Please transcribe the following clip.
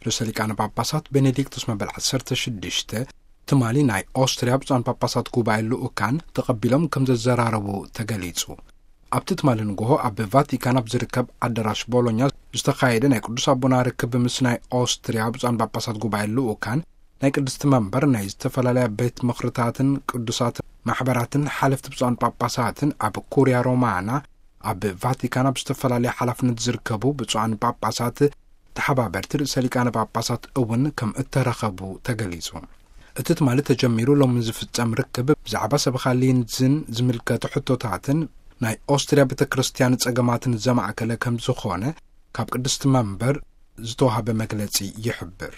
ርእሰ ሊቃነ ጳጳሳት ቤኔዲክቶስ መበል ዓሰርተ ሽዱሽተ ትማሊ ናይ ኦስትሪያ ብፁዓን ጳጳሳት ጉባኤ ልኡካን ተቐቢሎም ከም ዘዘራረቡ ተገሊጹ። ኣብቲ ትማሊ ንግሆ ኣብ ቫቲካን ኣብ ዝርከብ ኣዳራሽ ቦሎኛ ዝተኻየደ ናይ ቅዱስ ኣቦና ርክብ ምስ ናይ ኦስትሪያ ብፁዓን ጳጳሳት ጉባኤ ልኡካን ናይ ቅድስቲ መንበር ናይ ዝተፈላለያ ቤት ምኽርታትን ቅዱሳት ማሕበራትን ሓለፍቲ ብፁዓን ጳጳሳትን ኣብ ኩርያ ሮማና ኣብ ቫቲካን ኣብ ዝተፈላለያ ሓላፍነት ዝርከቡ ብፁዓን ጳጳሳት ተሓባበርቲ ርእሰ ሊቃነ ጳጳሳት እውን ከም እተረኸቡ ተገሊጹ። እቲ ትማሊ ተጀሚሩ ሎሚ ዝፍጸም ርክብ ብዛዕባ ሰበኻ ሊንዝን ዝምልከቱ ሕቶታትን ናይ ኦስትሪያ ቤተ ክርስቲያን ጸገማትን ዘማእከለ ከም ዝኾነ ካብ ቅድስቲ መንበር ዝተዋህበ መግለጺ ይሕብር።